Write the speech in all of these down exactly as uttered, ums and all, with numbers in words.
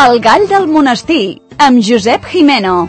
El gall del monestir, amb Josep Jimeno.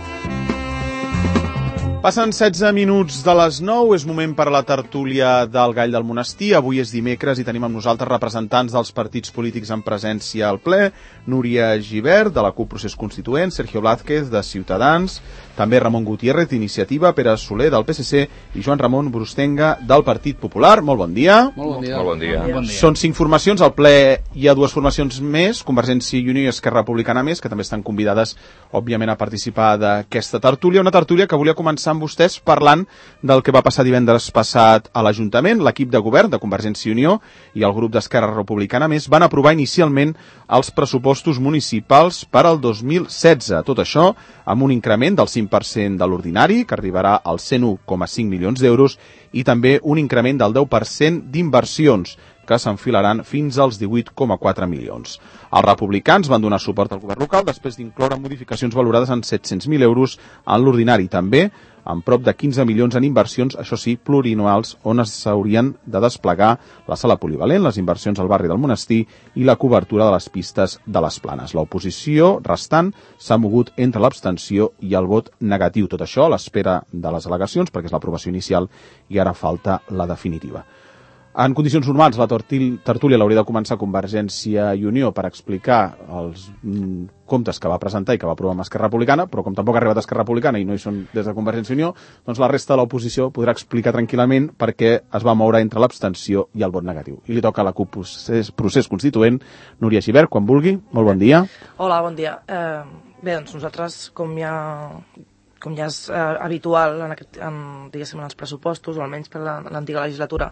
Passen setze minuts de les nou, és moment per a la tertúlia del Gall del Monestir. Avui és dimecres i tenim amb nosaltres representants dels partits polítics en presència al ple. Núria Gibert, de la CUP Procés Constituent, Sergio Blázquez, de Ciutadans, també Ramon Gutiérrez, d'Iniciativa, Pere Soler, del P S C, i Joan Ramon Brustenga, del Partit Popular. Molt bon dia. Molt bon dia. Molt bon dia. Molt bon dia. Són cinc formacions, al ple hi ha dues formacions més, Convergència i Unió i Esquerra Republicana més, que també estan convidades, òbviament, a participar d'aquesta tertúlia. Una tertúlia que volia començar amb vostès parlant del que va passar divendres passat a l'Ajuntament. L'equip de govern de Convergència i Unió i el grup d'Esquerra Republicana més van aprovar inicialment els pressupostos municipals per al dos mil setze. Tot això amb un increment del cinc per cent de l'ordinari, que arribarà als cent un coma cinc milions d'euros, i també un increment del deu per cent d'inversions, que s'enfilaran fins als divuit coma quatre milions. Els republicans van donar suport al govern local després d'incloure modificacions valorades en set-cents mil euros en l'ordinari, també amb prop de quinze milions en inversions, això sí, plurianuals, on s'haurien de desplegar la sala polivalent, les inversions al barri del Monestir i la cobertura de les pistes de les Planes. L'oposició restant s'ha mogut entre l'abstenció i el vot negatiu. Tot això a l'espera de les al·legacions, perquè és l'aprovació inicial i ara falta la definitiva. En condicions normals, la tertúlia l'hauria de començar Convergència i Unió per explicar els mm, comptes que va presentar i que va aprovar amb Esquerra Republicana, però com tampoc ha arribat Esquerra Republicana i no hi són des de Convergència i Unió, doncs la resta de l'oposició podrà explicar tranquil·lament per què es va moure entre l'abstenció i el vot negatiu. I li toca a la CUP Procés, Procés Constituent, Núria Gibert, quan vulgui. Molt bon dia. Hola, bon dia. Eh, bé, doncs nosaltres, com ja... com ja és eh, habitual en, aquest, en, diguéssim, en els pressupostos, o almenys per l'antiga legislatura,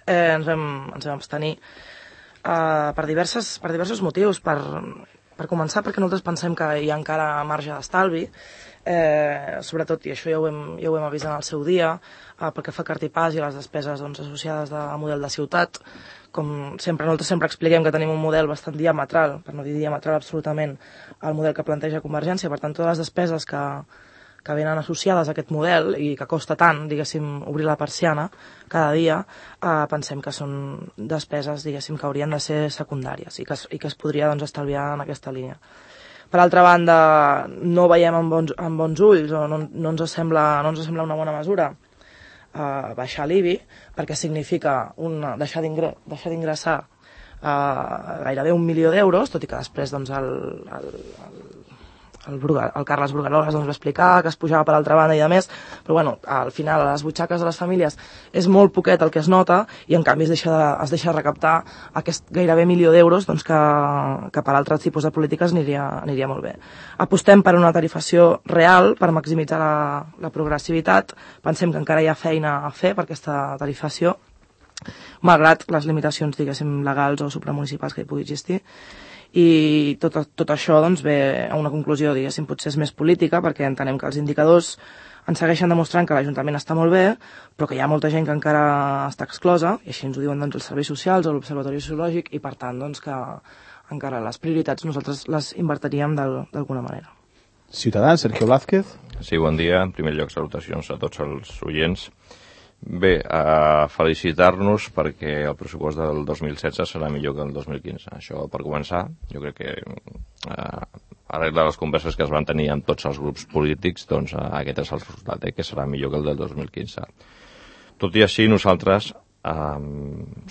Eh, ens, vam, ens vam abstenir eh, per, diverses, per diversos motius. Per, per començar, perquè nosaltres pensem que hi ha encara marge d'estalvi, eh, sobretot, i això ja ho hem, ja ho hem avisat en el seu dia, eh, pel que fa a cartipàs i les despeses doncs, associades al model de ciutat. Com sempre, nosaltres sempre expliquem que tenim un model bastant diametral, per no dir diametral absolutament, al model que planteja Convergència. Per tant, totes les despeses que que venen associades a aquest model i que costa tant, diguéssim, obrir la persiana cada dia, eh, pensem que són despeses, diguéssim, que haurien de ser secundàries i que, i que es podria doncs, estalviar en aquesta línia. Per altra banda, no veiem amb bons, amb bons ulls o no, no, ens sembla, no ens sembla una bona mesura eh, baixar l'I B I, perquè significa una, deixar d'ingressar eh, gairebé un milió d'euros, tot i que després doncs, el, el, el El, Bruga, el Carles Brugaroles doncs, va explicar que es pujava per altra banda i de més, però bueno, al final a les butxaques de les famílies és molt poquet el que es nota i en canvi es deixa de, es deixa de recaptar aquest gairebé milió d'euros doncs, que, que per altres tipus de polítiques aniria, aniria molt bé. Apostem per una tarifació real per maximitzar la, la progressivitat. Pensem que encara hi ha feina a fer per aquesta tarifació, malgrat les limitacions, diguéssim, legals o supramunicipals que hi pugui existir. I tot, tot això doncs, ve a una conclusió, diguéssim, potser és més política, perquè entenem que els indicadors ens segueixen demostrant que l'Ajuntament està molt bé, però que hi ha molta gent que encara està exclosa, i així ens ho diuen doncs, els serveis socials o l'Observatori Sociològic, i per tant doncs, que encara les prioritats nosaltres les invertiríem d'alguna manera. Ciutadans, Sergio Blázquez. Sí, bon dia. En primer lloc, salutacions a tots els oients. Bé, a felicitar-nos perquè el pressupost del dos mil setze serà millor que el dos mil quinze. Això per començar. Jo crec que eh, arrel de les converses que es van tenir amb tots els grups polítics, doncs eh, aquest és el resultat, eh, que serà millor que el del dos mil quinze. Tot i així, nosaltres, eh,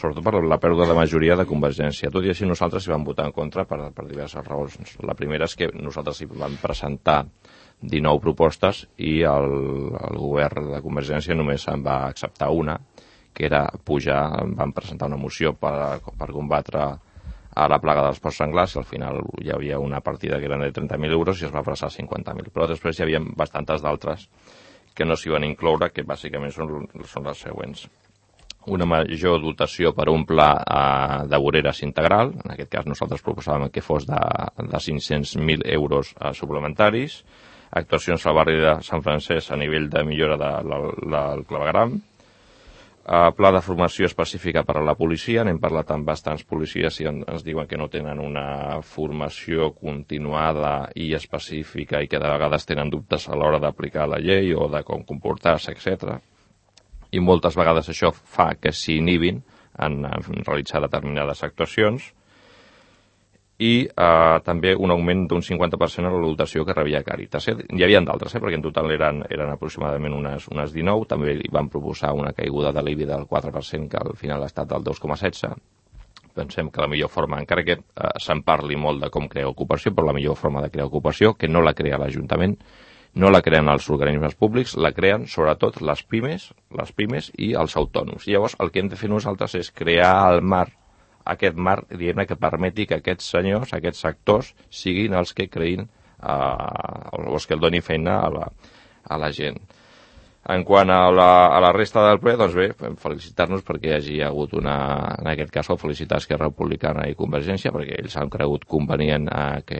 sobretot per la pèrdua de majoria de Convergència, tot i així nosaltres hi vam votar en contra per, per diverses raons. La primera és que nosaltres hi vam presentar dinou propostes i el, el govern de Convergència només en va acceptar una, que era pujar, van presentar una moció per, per combatre a la plaga dels porcs senglars, i al final hi havia una partida que eren de trenta mil euros i es va passar a cinquanta mil. Però després hi havia bastantes d'altres que no s'hi van incloure, que bàsicament són, són les següents. Una major dotació per un pla eh, de voreres integral, en aquest cas nosaltres proposàvem que fos de, de cinc-cents mil euros eh, suplementaris, actuacions al barri de Sant Francesc a nivell de millora del de, de, de clavegram, uh, pla de formació específica per a la policia. N'hem parlat amb bastants policies i en, ens diuen que no tenen una formació continuada i específica i que de vegades tenen dubtes a l'hora d'aplicar la llei o de com comportar-se, etcètera. I moltes vegades això fa que s'inhibin en, en realitzar determinades actuacions. i eh, també un augment d'un cinquanta per cent a la dotació que rebia Càritas. Eh? Hi havia d'altres, eh? perquè en total eren, eren aproximadament unes, unes dinou, també li van proposar una caiguda de l'I B I del quatre per cent, que al final ha estat del dos coma setze. Pensem que la millor forma, encara que eh, se'n parli molt de com crear ocupació, però la millor forma de crear ocupació, que no la crea l'Ajuntament, no la creen els organismes públics, la creen sobretot les pimes, les pimes i els autònoms. I llavors el que hem de fer nosaltres és crear el marc, aquest marc, diguem-ne, que permeti que aquests senyors, aquests sectors, siguin els que creïn, eh, els que el donin feina a la, a la gent. En quant a la, a la resta del ple, doncs bé, felicitar-nos perquè hi hagi hagut una, en aquest cas, felicitar Esquerra Republicana i Convergència, perquè ells han cregut convenient a que,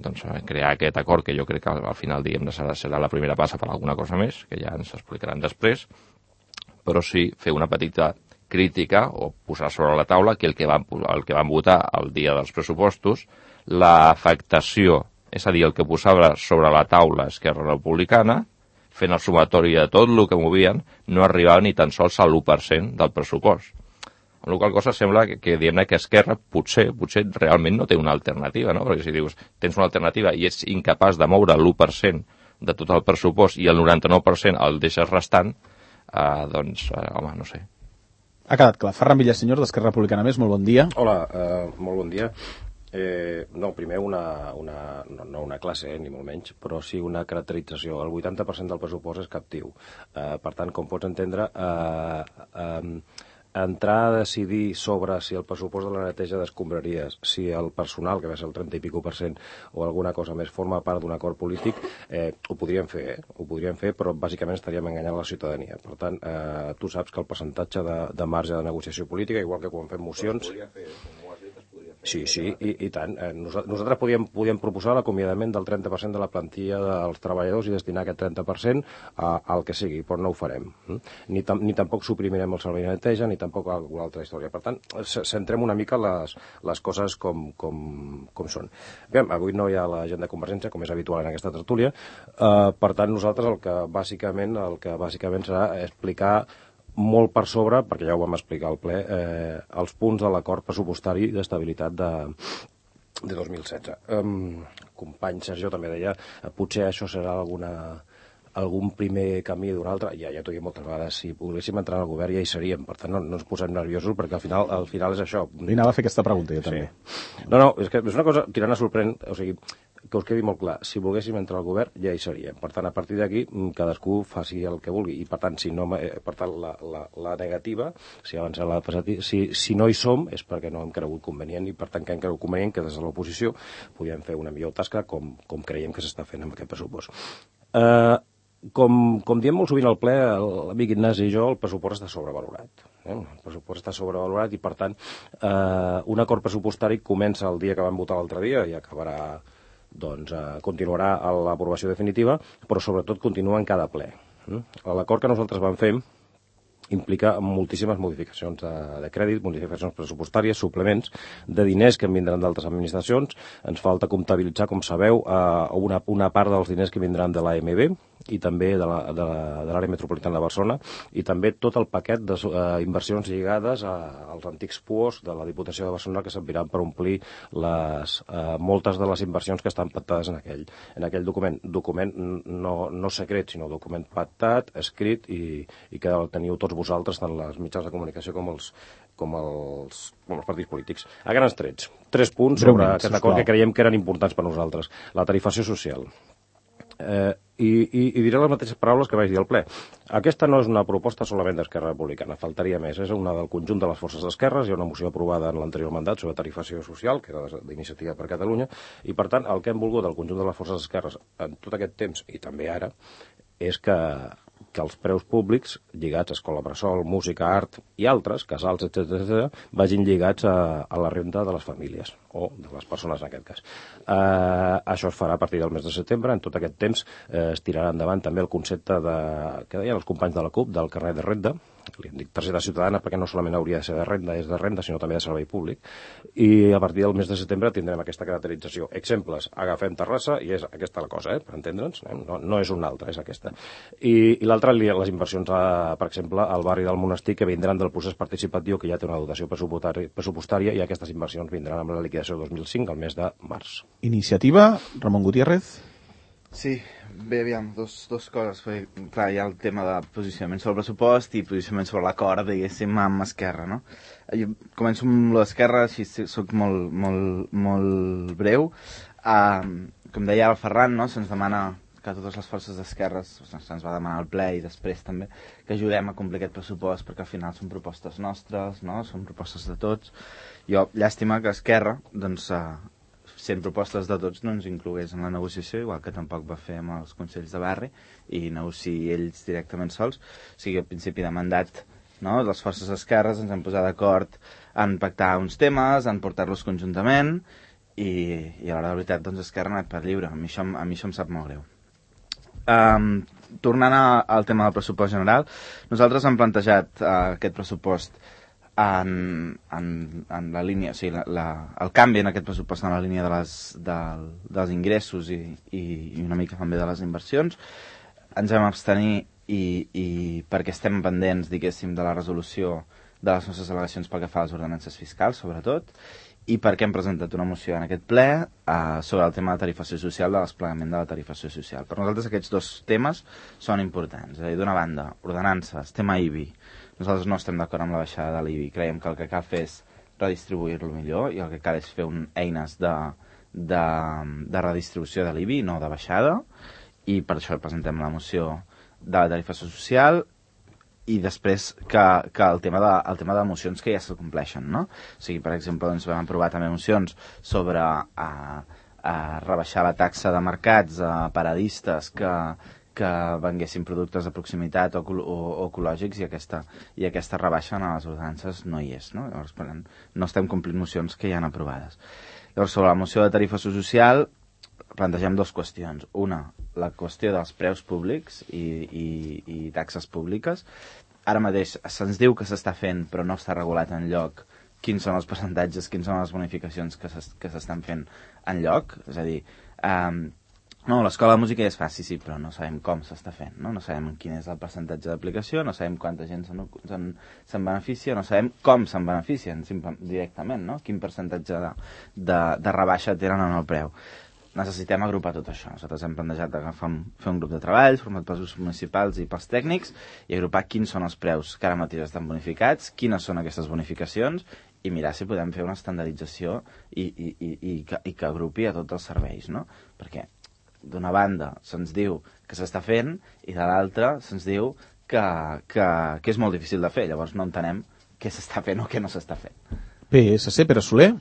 doncs, a crear aquest acord, que jo crec que al, al final, diguem, serà, serà la primera passa per alguna cosa més, que ja ens explicaran després, però sí fer una petita crítica o posar sobre la taula que el que van, el que van votar el dia dels pressupostos, l'afectació, és a dir, el que posava sobre la taula Esquerra Republicana, fent el sumatori de tot el que movien, no arribava ni tan sols a l'u per cent del pressupost. Amb la qual cosa sembla que, que diguem-ne que Esquerra potser, potser realment no té una alternativa, no? Perquè si dius, tens una alternativa i ets incapaç de moure l'u per cent de tot el pressupost i el noranta-nou per cent el deixes restant, eh, doncs, eh, home, no sé. Ha quedat clar. Ferran Villasenyor, d'Esquerra Republicana Més, molt bon dia. Hola, eh, molt bon dia. Eh, no, primer una, una, no, no una classe, eh, ni molt menys, però sí una caracterització. El vuitanta per cent del pressupost és captiu. Eh, per tant, com pots entendre, eh, eh, entrar a decidir sobre si el pressupost de la neteja d'escombraries, si el personal, que va ser el trenta i pico per cent, o alguna cosa més, forma part d'un acord polític, eh, ho podríem fer, eh? Ho podríem fer, però bàsicament estaríem enganyant la ciutadania. Per tant, eh, tu saps que el percentatge de, de marge de negociació política, igual que quan fem mocions... Sí, sí, i, i tant. Eh, nosaltres podíem, podíem proposar l'acomiadament del trenta per cent de la plantilla dels treballadors i destinar aquest trenta per cent a, al que sigui, però no ho farem. Ni, tam, ni tampoc suprimirem el servei de neteja, ni tampoc alguna altra història. Per tant, centrem una mica les, les coses com, com, com són. Bé, avui no hi ha la gent de Convergència, com és habitual en aquesta tertúlia. Eh, per tant, nosaltres el que bàsicament, el que bàsicament serà explicar molt per sobre, perquè ja ho vam explicar al ple, eh, els punts de l'acord pressupostari d'estabilitat de, de dos mil setze. Um, company Sergio també deia, eh, potser això serà alguna, algun primer camí d'un altre. Ja, ja t'ho dic moltes vegades, si volguéssim entrar al govern ja hi seríem, per tant no, no ens posem nerviosos, perquè al final, al final és això. Li anava a fer aquesta pregunta, jo també. Sí. No, no, és que és una cosa tirant a sorprèn, o sigui, que us quedi molt clar, si volguéssim entrar al govern ja hi seríem. Per tant, a partir d'aquí, cadascú faci el que vulgui. I per tant, si no, per tant la, la, la negativa, si abans la positiva, si, si no hi som, és perquè no hem cregut convenient i per tant que hem cregut convenient que des de l'oposició podíem fer una millor tasca com, com creiem que s'està fent amb aquest pressupost. Eh, com, com diem molt sovint al ple, l'amic Ignasi i jo, el pressupost està sobrevalorat. Eh? El pressupost està sobrevalorat i per tant eh, un acord pressupostari comença el dia que vam votar l'altre dia i acabarà doncs eh, continuarà a l'aprovació definitiva, però sobretot continua en cada ple. L'acord que nosaltres vam fer implica moltíssimes modificacions de, de crèdit, modificacions pressupostàries, suplements de diners que en vindran d'altres administracions. Ens falta comptabilitzar, com sabeu, eh, una, una part dels diners que vindran de l'A M B i també de l'àrea metropolitana de Barcelona i també tot el paquet d'inversions uh, lligades a, als antics P U Os de la Diputació de Barcelona que serviran per omplir les, uh, moltes de les inversions que estan pactades en aquell, en aquell document. Document no, no secret, sinó document pactat, escrit i, i que el teniu tots vosaltres, tant les mitjans de comunicació com els, com els, com els partits polítics. A grans trets, tres punts sobre Breument, aquest acord que creiem que eren importants per nosaltres. La tarifació social. Eh, i, i, i diré les mateixes paraules que vaig dir al ple. Aquesta no és una proposta solament d'Esquerra Republicana, faltaria més. És una del conjunt de les forces d'esquerres. Hi ha una moció aprovada en l'anterior mandat sobre tarifació social, que era d'Iniciativa per Catalunya, i per tant el que hem volgut del conjunt de les forces d'esquerres en tot aquest temps, i també ara, és que, que els preus públics lligats a escola bressol, música, art i altres, casals, etcètera, vagin lligats a, a la renda de les famílies, o de les persones en aquest cas. Eh, això es farà a partir del mes de setembre. En tot aquest temps eh, es tirarà endavant també el concepte de, que deien els companys de la CUP, del carnet de renda, li dic targeta ciutadana perquè no solament hauria de ser de renda, és de renda, sinó també de servei públic, i a partir del mes de setembre tindrem aquesta caracterització. Exemples, agafem Terrassa i és aquesta la cosa, eh, per entendre'ns, no, no és una altra, és aquesta. I, i l'altra, les inversions, a, per exemple, al barri del Monestir, que vindran del procés participatiu, que ja té una dotació pressupostària, i aquestes inversions vindran amb la liquidació dos mil cinc, al mes de març. Iniciativa, Ramon Gutiérrez. Sí, bé, aviam, dos, dos coses. Perquè, clar, hi ha el tema de posicionament sobre el pressupost i posicionament sobre l'acord, diguéssim, amb Esquerra, no? Jo començo amb l'Esquerra, així soc molt, molt, molt breu. Uh, com deia el Ferran, no? Se'ns demana que totes les forces d'esquerres, se'ns va demanar al ple i després també que ajudem a complir aquest pressupost, perquè al final són propostes nostres, no? Són propostes de tots. Jo, llàstima que Esquerra, doncs, uh, sent propostes de tots, no ens inclogués en la negociació, igual que tampoc va fer amb els consells de barri i negociï ells directament sols. O sigui, al principi de mandat, no? Les forces d'esquerres ens hem posat d'acord en pactar uns temes, en portar-los conjuntament i, i a l'hora de veritat, doncs, Esquerra ha anat per lliure. A mi això, a mi això em sap molt greu. Um, tornant a, al tema del pressupost general, nosaltres hem plantejat uh, aquest pressupost En, en, en la línia, o sigui, la, la, el canvi en aquest pressupost en la línia de les, de, dels ingressos i, i, i una mica també de les inversions. Ens vam abstenir i, i perquè estem pendents, diguéssim, de la resolució de les nostres al·legacions pel que fa a les ordenances fiscals, sobretot, i perquè hem presentat una moció en aquest ple eh, sobre el tema de tarifació social, de desplegament de la tarifació social. Per nosaltres aquests dos temes són importants. És a dir, d'una banda, ordenances, tema I B I. Nosaltres no estem d'acord amb la baixada de l'I B I. Creiem que el que cal fer és redistribuir-lo millor i el que cal és fer un, eines de, de, de redistribució de l'I B I, no de baixada, i per això presentem la moció de la tarifació social i després que, que el tema de, el tema de mocions que ja se compleixen, no? O sigui, per exemple, doncs vam aprovar també mocions sobre a, a rebaixar la taxa de mercats a paradistes que que venguessin productes de proximitat o, o, o ecològics i aquesta, i aquesta rebaixa en les ordenances no hi és, no? Llavors, per tant, no estem complint mocions que ja han aprovades. Llavors, sobre la moció de tarifació social plantegem dues qüestions. Una, la qüestió dels preus públics i, i, i taxes públiques. Ara mateix se'ns diu que s'està fent però no està regulat en lloc quins són els percentatges, quins són les bonificacions que s'estan fent en lloc. És a dir, eh, no, l'escola de música ja es fa, sí, sí, però no sabem com s'està fent, no? No sabem quin és el percentatge d'aplicació, no sabem quanta gent se'n, se'n, se'n beneficia, no sabem com se'n beneficien directament, no? Quin percentatge de, de, de rebaixa tenen en el preu. Necessitem agrupar tot això. Nosaltres hem plantejat agafar un, fer un grup de treball format pels grups municipals i pels tècnics i agrupar quins són els preus que ara mateix estan bonificats, quines són aquestes bonificacions i mirar si podem fer una estandardització i, i, i, i, que, i que agrupi a tots els serveis, no? Perquè d'una banda se'ns diu que s'està fent i de l'altra se'ns diu que, que, que és molt difícil de fer. Llavors no entenem què s'està fent o què no s'està fent. P S C, Pere Soler.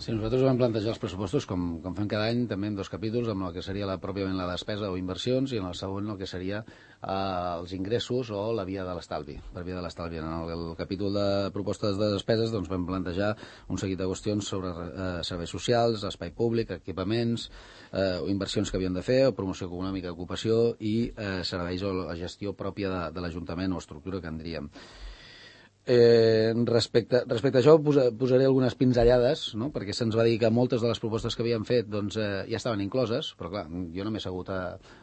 Sí, nosaltres vam plantejar els pressupostos, com, com fem cada any, també en dos capítols, amb el que seria la, pròpiament la despesa o inversions, i en el següent el que seria eh, els ingressos o la via de l'estalvi, per via de l'estalvi. En el, el capítol de propostes de despeses doncs, vam plantejar un seguit de qüestions sobre eh, serveis socials, espai públic, equipaments, eh, inversions que havien de fer, o promoció econòmica, ocupació i eh, serveis o la gestió pròpia de, de l'Ajuntament o estructura que en diríem. Eh, respecte, respecte a això posa, posaré algunes pinzellades, no? Perquè se'ns va dir que moltes de les propostes que havíem fet doncs, eh, ja estaven incloses, però clar, jo no m'he assegut a,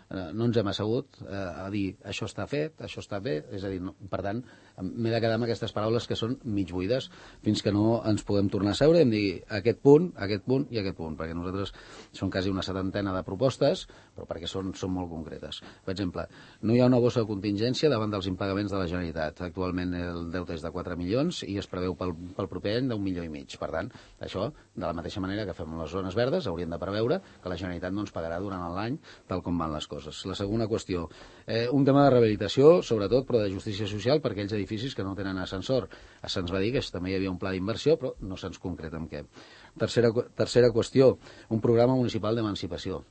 eh, no ens hem assegut eh, a dir això està fet, això està bé, és a dir, no, per tant m'he de quedar amb aquestes paraules que són mig buides fins que no ens puguem tornar a seure i em digui aquest punt, aquest punt i aquest punt, perquè nosaltres són quasi una setantena de propostes, però perquè són, són molt concretes. Per exemple, no hi ha una bossa de contingència davant dels impagaments de la Generalitat. Actualment el deute és de quatre milions i es preveu pel, pel proper any d'un milió i mig. Per tant, això, de la mateixa manera que fem les zones verdes, hauríem de preveure que la Generalitat no ens pagarà durant l'any tal com van les coses. La segona qüestió, eh, un tema de rehabilitació, sobretot, però de justícia social per aquells edificis que no tenen ascensor. Se'ns va dir que també hi havia un pla d'inversió, però no se'ns concreta en què. Tercera, tercera qüestió, un programa municipal d'emancipació.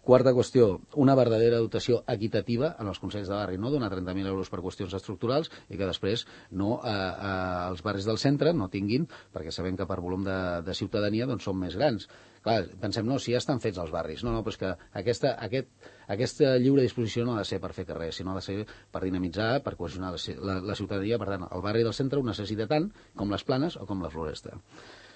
Quarta qüestió, una verdadera dotació equitativa en els consells de barri, no donar trenta mil euros per qüestions estructurals i que després no, eh, eh, els barris del centre no tinguin, perquè sabem que per volum de, de ciutadania doncs, són més grans. Clar, pensem, no, si ja estan fets els barris. No, no, però és que aquesta, aquest, aquesta lliure disposició no ha de ser per fer carrer, sinó ha de ser per dinamitzar, per cohesionar la, la, la ciutadania. Per tant, el barri del centre ho necessita tant com les Planes o com la Floresta.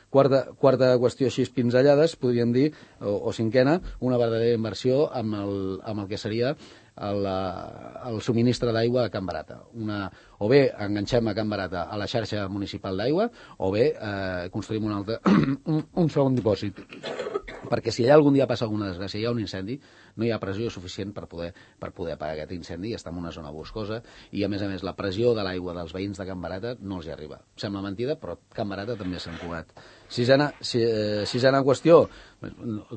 Quarta, quarta qüestió així pinzellades, podríem dir, o, o cinquena, una verdadera inversió amb el, amb el que seria el, el subministre d'aigua a Can Barata. Una, o bé enganxem a Can Barata a la xarxa municipal d'aigua, o bé eh, construïm un, altre, un, un segon dipòsit. Perquè si allà algun dia passa alguna desgràcia, hi ha un incendi, no hi ha pressió suficient per poder, per poder apagar aquest incendi, i està en una zona boscosa, i a més a més la pressió de l'aigua dels veïns de Can Barata no els hi arriba. Sembla mentida, però Can Barata també s'ha encugat. Sisena, si, eh, sisena qüestió,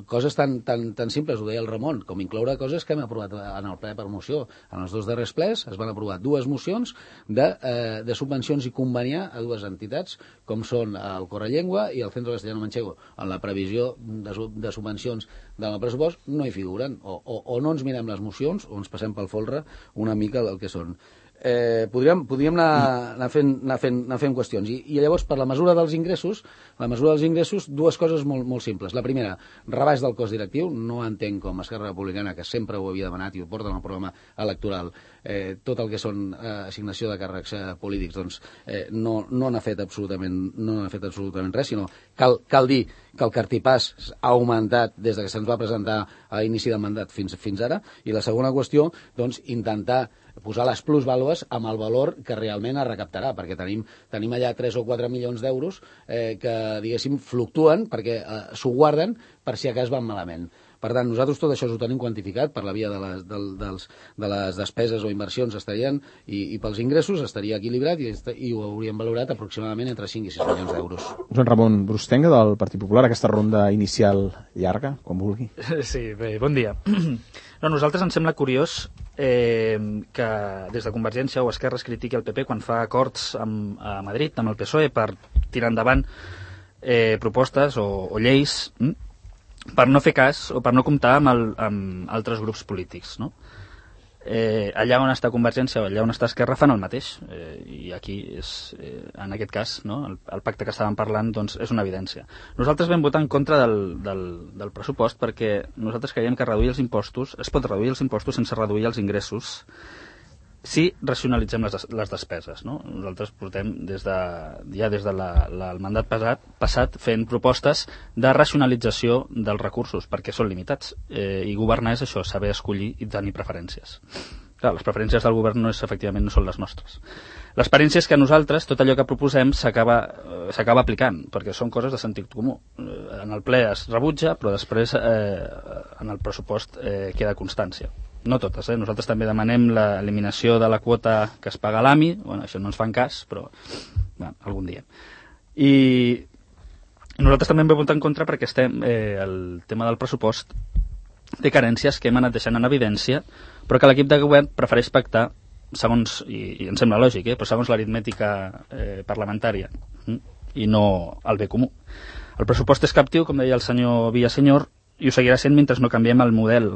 coses tan, tan, tan simples, ho deia el Ramon, com incloure coses que hem aprovat en el ple per moció. En els dos darrers plens es van aprovar dues mocions de, eh, de subvencions i conveniar a dues entitats, com són el Correllengua i el Centro Castellano Manchego. En la previsió de, de subvencions del pressupost no hi figuren, o, o, o no ens mirem les mocions o ens passem pel folre una mica del que són. Eh, podríem, podríem anar, anar, fent, anar, fent, anar fent qüestions. I, I llavors, per la mesura dels ingressos, la mesura dels ingressos, dues coses molt, molt simples. La primera, rebaix del cost directiu. No entenc com Esquerra Republicana, que sempre ho havia demanat i ho porta en el programa electoral, eh, tot el que són eh, assignació de càrrecs eh, polítics, doncs eh, no, no n'ha fet absolutament, no n'ha fet absolutament res, sinó cal, cal dir que el cartipàs ha augmentat des de que se'ns va presentar a l'inici del mandat fins, fins ara. I la segona qüestió, doncs, intentar posar les plusvàlues amb el valor que realment es recaptarà, perquè tenim, tenim allà tres o quatre milions d'euros eh, que, diguéssim, fluctuen perquè eh, s'ho guarden per si a cas van malament. Per tant, nosaltres tot això ho tenim quantificat per la via de les, de, dels, de les despeses o inversions estarien, i, i pels ingressos estaria equilibrat i, i ho hauríem valorat aproximadament entre cinc i sis milions d'euros. Joan Ramon Brustenga, del Partit Popular, aquesta ronda inicial llarga, quan vulgui. Sí, bé, bon dia. No, a nosaltres ens sembla curiós eh, que des de Convergència o Esquerra es critiqui el P P quan fa acords amb, a Madrid, amb el P S O E, per tirar endavant eh, propostes o, o lleis hm? per no fer cas o per no comptar amb, el, amb altres grups polítics, no? Eh, allà on està Convergència o allà on està Esquerra fan el mateix, eh, i aquí és, eh, en aquest cas, no? el, el pacte que estàvem parlant doncs, és una evidència. Nosaltres vam votar en contra del, del, del pressupost perquè nosaltres creiem que reduir els impostos, es pot reduir els impostos sense reduir els ingressos si racionalitzem les, les despeses, no? Nosaltres portem des de, ja des del de la, la, el mandat passat, passat fent propostes de racionalització dels recursos perquè són limitats, eh, i governar és això, saber escollir i tenir preferències. Clar, les preferències del govern no és, efectivament no són les nostres. L'experiència és que nosaltres tot allò que proposem s'acaba eh, s'acaba aplicant, perquè són coses de sentit comú. Eh, en el ple es rebutja, però després eh, en el pressupost eh, queda constància. No totes, eh? Nosaltres també demanem l'eliminació de la quota que es paga a l'A M I, bueno, això no ens fan cas, però bueno, algun dia. I nosaltres també hem votat en contra perquè estem, eh, el tema del pressupost té carències que hem anat deixant en evidència, però que l'equip de govern prefereix pactar segons, i, i em sembla lògic, eh, però segons l'aritmètica eh, parlamentària hm? i no el bé comú. El pressupost és captiu, com deia el senyor Villasenyor, i ho seguirà sent mentre no canviem el model.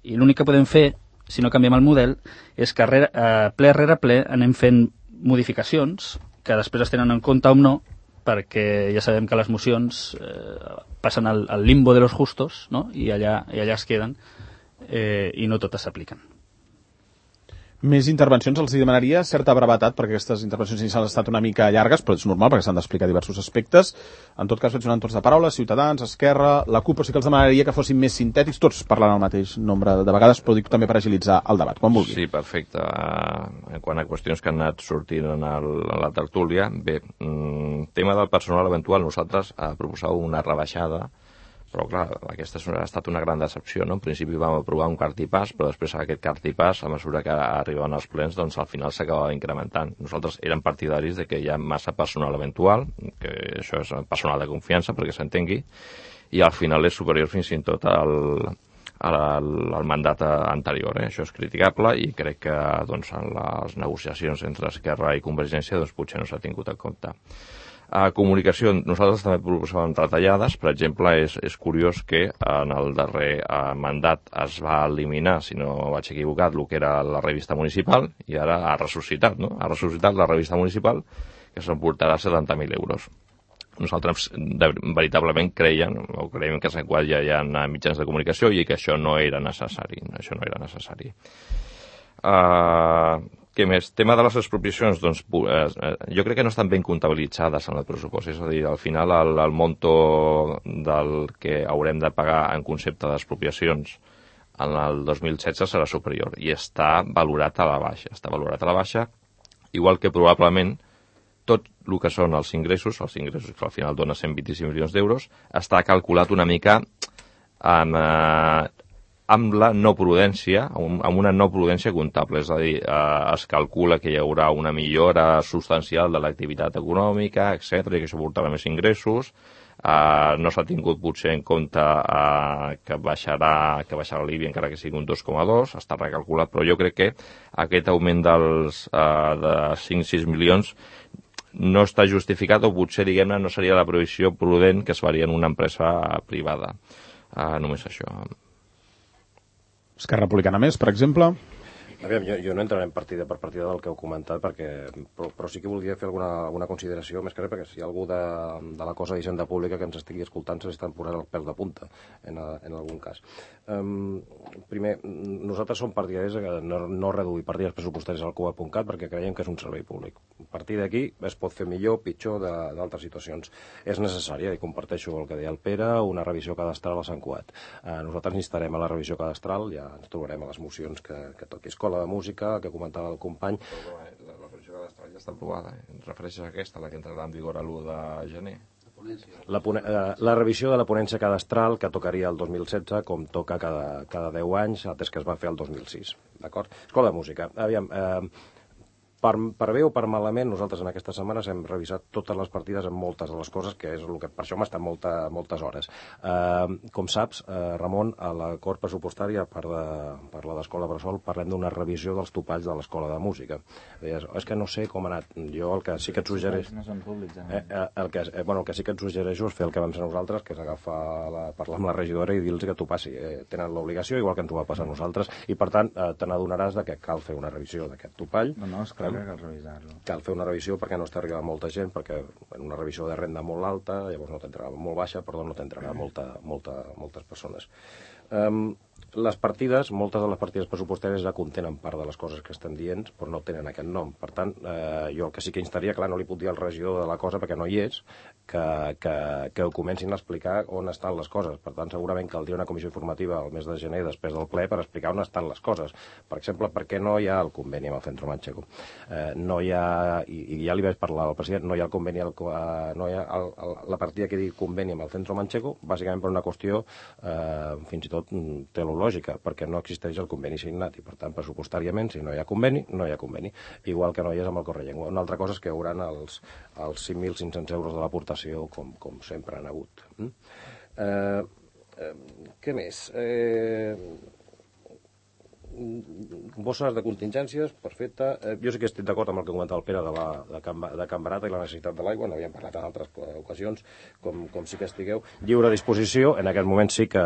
I l'únic que podem fer, si no canviem el model, és que rere, eh, ple rere ple anem fent modificacions que després es tenen en compte o no, perquè ja sabem que les mocions eh, passen al, al limbo de los justos, no? I, allà, i allà es queden eh, i no totes s'apliquen. Més intervencions, els hi demanaria certa brevetat, perquè aquestes intervencions inicials han estat una mica llargues, però és normal perquè s'han d'explicar diversos aspectes. En tot cas, vaig donant torns de paraula, Ciutadans, Esquerra, la CUP, però sí que els demanaria que fossin més sintètics, tots parlant el mateix nombre de vegades, però dic també per agilitzar el debat, quan vulgui. Sí, perfecte. En quant a qüestions que han anat sortint en, el, en la tertúlia, bé, tema del personal eventual, nosaltres eh, proposàvem una rebaixada, però clar, aquesta ha estat una gran decepció, no? En principi vam aprovar un cartipàs, però després aquest cartipàs, a mesura que arribaven els plens, doncs al final s'acabava incrementant. Nosaltres érem partidaris de que hi ha massa personal eventual, que això és personal de confiança, perquè s'entengui, i al final és superior fins i tot al, al, al mandat anterior. Eh? Això és criticable i crec que doncs, en les negociacions entre Esquerra i Convergència doncs, potser no s'ha tingut en compte. A comunicació, nosaltres també proposàvem retallades. Per exemple, és, és curiós que en el darrer eh, mandat es va eliminar, si no vaig equivocat, el que era la revista municipal, i ara ha ressuscitat, no? Ha ressuscitat la revista municipal, que s'emportarà setanta mil euros. Nosaltres de, veritablement creiem, o creiem que a Sant Cugat ja hi ha mitjans de comunicació i que això no era necessari. Això no era necessari. Uh, què més? Tema de les expropiacions, doncs, eh, jo crec que no estan ben comptabilitzades en el pressupost. És a dir, al final el, el monto del que haurem de pagar en concepte d'expropiacions en el dos mil setze serà superior i està valorat a la baixa. Està valorat a la baixa, igual que probablement tot el que són els ingressos, els ingressos que al final dona cent vint-i-cinc milions d'euros, està calculat una mica amb, eh, amb la no prudència, amb una no prudència comptable. És a dir, eh, es calcula que hi haurà una millora substancial de l'activitat econòmica, etcètera, i que això portarà més ingressos. Uh, no s'ha tingut potser en compte uh, que baixarà que baixarà l'I B I encara que sigui un dos coma dos, està recalculat, però jo crec que aquest augment dels uh, de cinc a sis milions no està justificat, o potser, diguem-ne, no seria la previsió prudent que es faria en una empresa privada. Uh, només això. Esquerra Republicana més, per exemple? Aviam, jo, jo no entraré en partida per partida del que heu comentat, perquè, però, però sí que voldria fer alguna, alguna consideració, més que res, perquè si hi ha algú de, de la cosa d'Hisenda Pública que ens estigui escoltant se li estan posant el pèl de punta, en, a, en algun cas. Um, primer, nosaltres som partidaris de no, no reduir partides pressupostàries al Cugat punt cat perquè creiem que és un servei públic. A partir d'aquí es pot fer millor, pitjor, d'altres situacions. És necessària, i comparteixo el que deia el Pere, una revisió cadastral a Sant Cugat. Uh, nosaltres instarem a la revisió cadastral, ja ens trobarem a les mocions que, que toqui escola de música, que comentava el company. La, la revisió cadastral ja està aprovada. Eh? Ens refereixes a aquesta, la que entrarà en vigor a l'u de gener? La, eh, la revisió de la ponència cadastral, que tocaria el dos mil setze, com toca cada, cada deu anys, atès que es va fer el dos mil sis. D'acord? Escola de música. Aviam, eh, per, per bé o per malament, nosaltres en aquestes setmanes hem revisat totes les partides en moltes de les coses, que és el que per això hem estat molta, moltes hores. Eh, com saps, eh, Ramon, a l'acord pressupostari, a part de, per la d'Escola Bressol, parlem d'una revisió dels topalls de l'Escola de Música. Deies, és que no sé com ha anat. Jo el que sí que et suggereixo... No són públics, eh? Eh, el, que, eh, bueno, el que sí que et suggereixo és fer el que vam fer nosaltres, que és agafar la, parlar amb la regidora i dir-los que t'ho passi. Eh, tenen l'obligació, igual que ens ho va passar a nosaltres, i per tant eh, te n'adonaràs de que cal fer una revisió d'aquest topall. No, no, és clar que cal revisar-lo. Cal fer una revisió perquè no està arribant molta gent, perquè en una revisió de renda molt alta, llavors no t'entrarà molt baixa, perdó, no t'entrarà molta, molta, moltes persones. Um, les partides, moltes de les partides pressupostàries ja contenen part de les coses que estem dient, però no tenen aquest nom. Per tant, eh, jo el que sí que instaria, clar, no li puc dir al regidor de la cosa perquè no hi és, que, que, que ho comencin a explicar on estan les coses. Per tant, segurament caldria una comissió informativa al mes de gener després del ple per explicar on estan les coses. Per exemple, per què no hi ha el conveni amb el Centro Manchego? Eh, no hi ha, i, i ja li vaig parlar al president, no hi ha el conveni, el, eh, no hi ha el, el, la partida que digui conveni amb el Centro Manchego, bàsicament per una qüestió eh, fins i tot teològica, perquè no existeix el conveni signat i, per tant, pressupostàriament, si no hi ha conveni, no hi ha conveni. Igual que no hi és amb el Correllengua. Una altra cosa és que hi haurà els, els cinc mil cinc-cents euros de l'aportació, com, com sempre han hagut. Mm? Eh, eh, què més? Eh... Bosses de contingències, perfecte. Eh, jo sí que estic d'acord amb el que comentava el Pere de, la, de, Can, de Can Barata i la necessitat de l'aigua, n'havíem parlat en altres ocasions, com, com sí que estigueu. Lliure disposició, en aquest moment sí que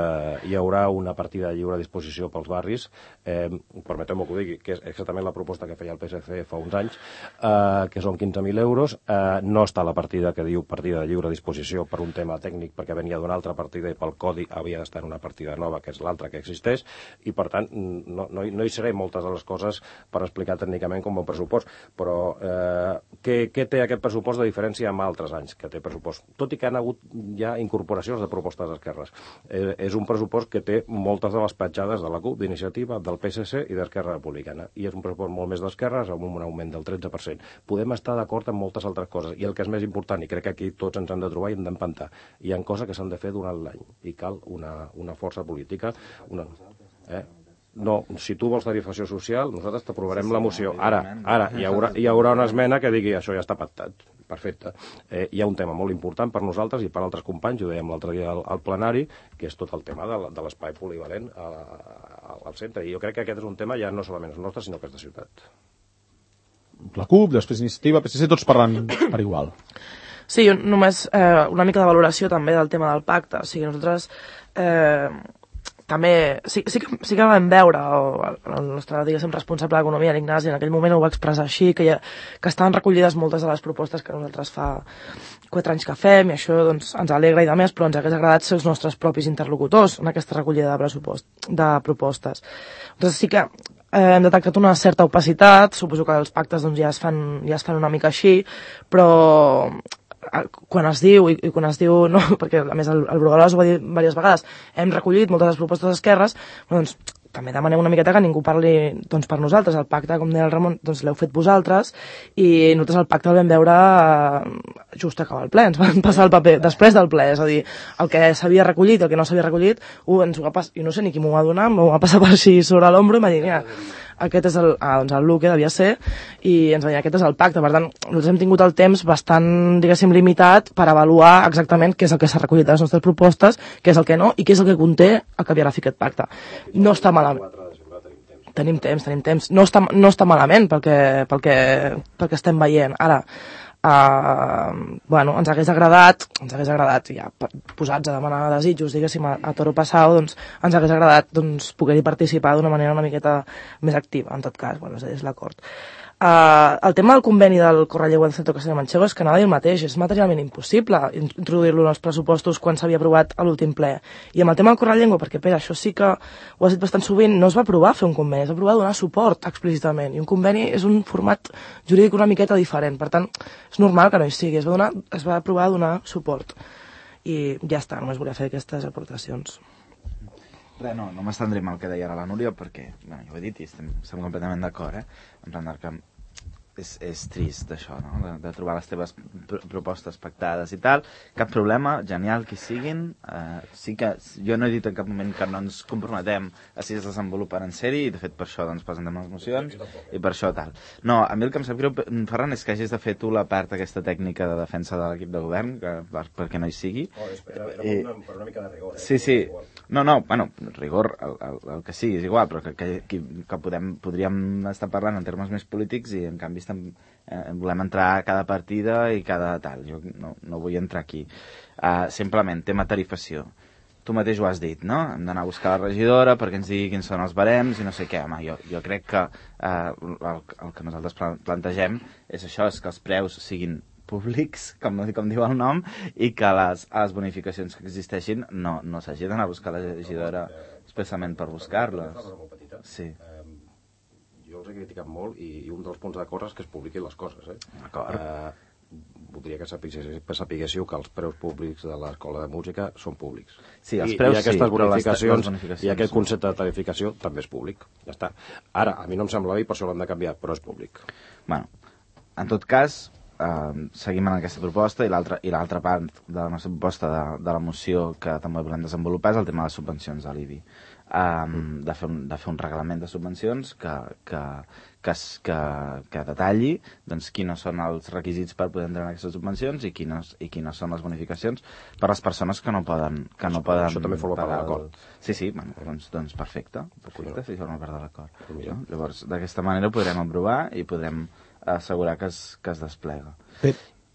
hi haurà una partida de lliure disposició pels barris, eh, permeteu-me que ho digui, que és exactament la proposta que feia el P S C fa uns anys, eh, que són quinze mil euros, eh, no està la partida que diu partida de lliure disposició per un tema tècnic, perquè venia d'una altra partida i pel codi havia d'estar en una partida nova, que és l'altra que existeix, i per tant no, no, no hi seré moltes de les coses per explicar tècnicament com un pressupost, però eh, què, què té aquest pressupost de diferència amb altres anys que té pressupost? Tot i que han hagut ja incorporacions de propostes d'esquerres. Eh, és un pressupost que té moltes de les petjades de la CUP, d'Iniciativa, del P S C i d'Esquerra Republicana, i és un pressupost molt més d'esquerres amb un augment del tretze per cent. Podem estar d'acord en moltes altres coses, i el que és més important, i crec que aquí tots ens hem de trobar i hem d'empantar, hi ha coses que s'han de fer durant l'any, i cal una, una força política, una... Eh? No, si tu vols tarifació social, nosaltres t'aprovarem la moció. Ara, ara hi haurà, hi haurà una esmena que digui això ja està pactat. Perfecte. Eh, hi ha un tema molt important per nosaltres i per altres companys, ho dèiem l'altre dia al, al plenari, que és tot el tema de, de l'espai polivalent a, a, al centre. I jo crec que aquest és un tema ja no solament és nostre, sinó que és de ciutat. La CUP, després Iniciativa, P S C, tots parlant per igual. Sí, jo només eh, una mica de valoració també del tema del pacte. O sigui, nosaltres eh, també sí, sí, que, sí que vam veure, o el nostre, diguéssim, responsable d'Economia, l'Ignasi, en aquell moment ho va expressar així, que, ha, que estaven recollides moltes de les propostes que nosaltres fa quatre anys que fem, i això doncs, ens alegra i de més, però ens hagués agradat ser els nostres propis interlocutors en aquesta recollida de, pressupost, de propostes. Doncs sí que eh, hem detectat una certa opacitat, suposo que els pactes doncs, ja, es fan, ja es fan una mica així, però quan es diu, i, i quan es diu, no, perquè a més el, el Bruguelas ho va dir diverses vegades, hem recollit moltes de les propostes d'esquerres, doncs també demanem una miqueta que ningú parli doncs, per nosaltres. El pacte, com deia el Ramon, doncs l'heu fet vosaltres, i nosaltres el pacte el vam veure eh, just acabar el ple, ens van passar el paper després del ple, és a dir, el que s'havia recollit, el que no s'havia recollit, uh, ens ho va passar, i no sé ni qui m'ho va donar, m'ho va passar per així sobre l'ombro i m'ha dit, mira, aquest és el, ah, doncs el Luque, devia ser, i ens va dir, aquest és el pacte. Per tant, nosaltres hem tingut el temps bastant, diguéssim, limitat per avaluar exactament què és el que s'ha recollit de les nostres propostes, què és el que no, i què és el que conté el que havia de fer aquest pacte. No està malament. Tenim temps, tenim temps. No està, no està malament pel que, pel que, pel que estem veient. Ara, Uh, bueno, ens hagués agradat, ens hagués agradat, ja posats a demanar desitjos, diguéssim, a, a Toro Passau, doncs ens hagués agradat doncs, poder-hi participar d'una manera una miqueta més activa, en tot cas, bueno, és l'acord. Uh, el tema del conveni del Correlleu del Centro Castellà Manchego és que anava a dir el mateix, és materialment impossible introduir-lo en els pressupostos quan s'havia aprovat a l'últim ple. I amb el tema del Correllengua, perquè Pere, això sí que ho has dit bastant sovint, no es va aprovar fer un conveni, es va aprovar donar suport explícitament, i un conveni és un format jurídic una miqueta diferent, per tant, és normal que no hi sigui, es va, donar, es va aprovar donar suport. I ja està, només volia fer aquestes aportacions. Res, no, no m'estendré amb el que deia ara la Núria, perquè, bueno, ja ho he dit i estem, estem completament d'acord, eh? En plan que és, és trist això, no? De, de trobar les teves pr propostes pactades i tal. Cap problema, genial que siguin. Uh, sí que jo no he dit en cap moment que no ens comprometem a si es desenvolupen en sèrie, i de fet per això doncs, presentem les mocions i per això tal. No, a mi el que em sap greu, Ferran, és que hagis de fer tu la part aquesta tècnica de defensa de l'equip de govern, que, per, perquè no hi sigui. Oh, era, era I, una, per una mica de rigor. Eh? Sí, sí. No, no, bueno, rigor, el, el, el que sigui, és igual, però que, que, que, que podem, podríem estar parlant en termes més polítics i en canvi estem, eh, volem entrar a cada partida i cada tal. Jo no, no vull entrar aquí. Uh, simplement, tema tarifació. Tu mateix ho has dit, no? Hem d'anar a buscar la regidora perquè ens digui quins són els barems i no sé què. Home, jo, jo crec que uh, el, el que nosaltres plantegem és això, és que els preus siguin públics, com, com diu el nom, i que les, les bonificacions que existeixin no, no s'hagi d'anar a buscar la regidora especialment per buscar-les. Sí. Jo els he criticat molt i, i un dels punts d'acord és que es publiquin les coses. Eh? D'acord. Uh, voldria que sapiguéssiu que els preus públics de l'escola de música són públics. Sí, els preus I, i aquestes sí, bonificacions, les, les bonificacions i aquest concepte de tarificació també és públic. Ja està. Ara, a mi no em sembla bé, per això l'hem de canviar, però és públic. Bueno, en tot cas, Uh, seguim en aquesta proposta, i l'altra i l'altra part de la nostra proposta de, de la moció que també volem desenvolupar és el tema de les subvencions de l'I B I. Um, de, fer un, de fer un reglament de subvencions que, que, que, que, que detalli doncs, quins són els requisits per poder entrar en aquestes subvencions i quines, i quines són les bonificacions per a les persones que no poden, que no poden això també forma part de l'acord. Sí, sí, bueno, doncs, doncs perfecte, perfecte, sí, forma part de l'acord. No? Llavors, d'aquesta manera ho podrem aprovar i podrem assegurar que es, que es desplega. Bé,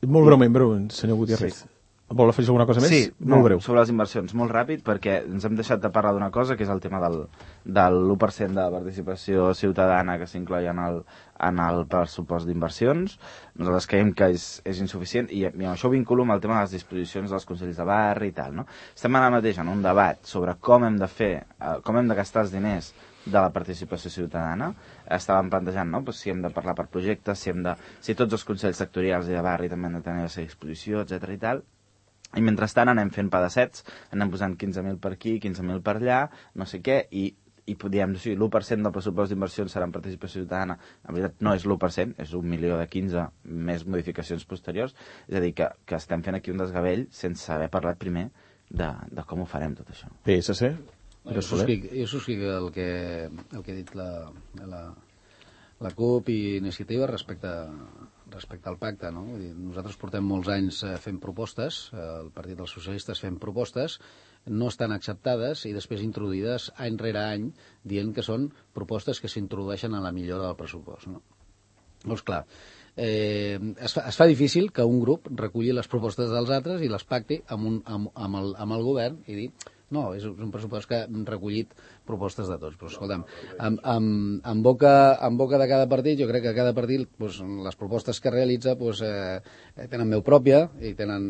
molt breument, breu, senyor Gutiérrez. Sí. Vol afegir alguna cosa més? Sí, molt no, breu. Sobre les inversions, molt ràpid, perquè ens hem deixat de parlar d'una cosa, que és el tema del, del l'u per cent de participació ciutadana que s'incloi en el, en el pressupost d'inversions. Nosaltres creiem que és, és insuficient, i, i amb això ho vinculo amb el tema de les disposicions dels consells de barri i tal, no? Estem ara mateix en un debat sobre com hem de fer, eh, com hem de gastar els diners de la participació ciutadana. Estàvem plantejant, no?, pues, si hem de parlar per projectes, si, hem de, si tots els consells sectorials i de barri també han de tenir la seva exposició, etcètera i tal. I mentrestant anem fent pedassets, anem posant quinze mil per aquí, quinze mil per allà, no sé què, i, i diem, sí, l'u per cent del pressupost d'inversions serà en participació ciutadana. En veritat no és l'u per cent, és un milió de quinze més modificacions posteriors. És a dir, que, que estem fent aquí un desgavell sense haver parlat primer de, de com ho farem tot això. P S C? Jo subscric, jo subscric el que, el que ha dit la, la, la CUP i Iniciativa respecte, respecte al pacte. No? Vull dir, nosaltres portem molts anys fent propostes, el Partit dels Socialistes fent propostes, no estan acceptades i després introduïdes any rere any dient que són propostes que s'introdueixen a la millora del pressupost. No? Doncs clar, eh, es, fa, es fa difícil que un grup reculli les propostes dels altres i les pacti amb, un, amb, amb, el, amb el govern i dir no, és un pressupost que hem recollit propostes de tots. Però, escolta'm, en, en, en, boca, en boca de cada partit, jo crec que cada partit, doncs, les propostes que realitza, doncs, eh, tenen veu pròpia, i tenen,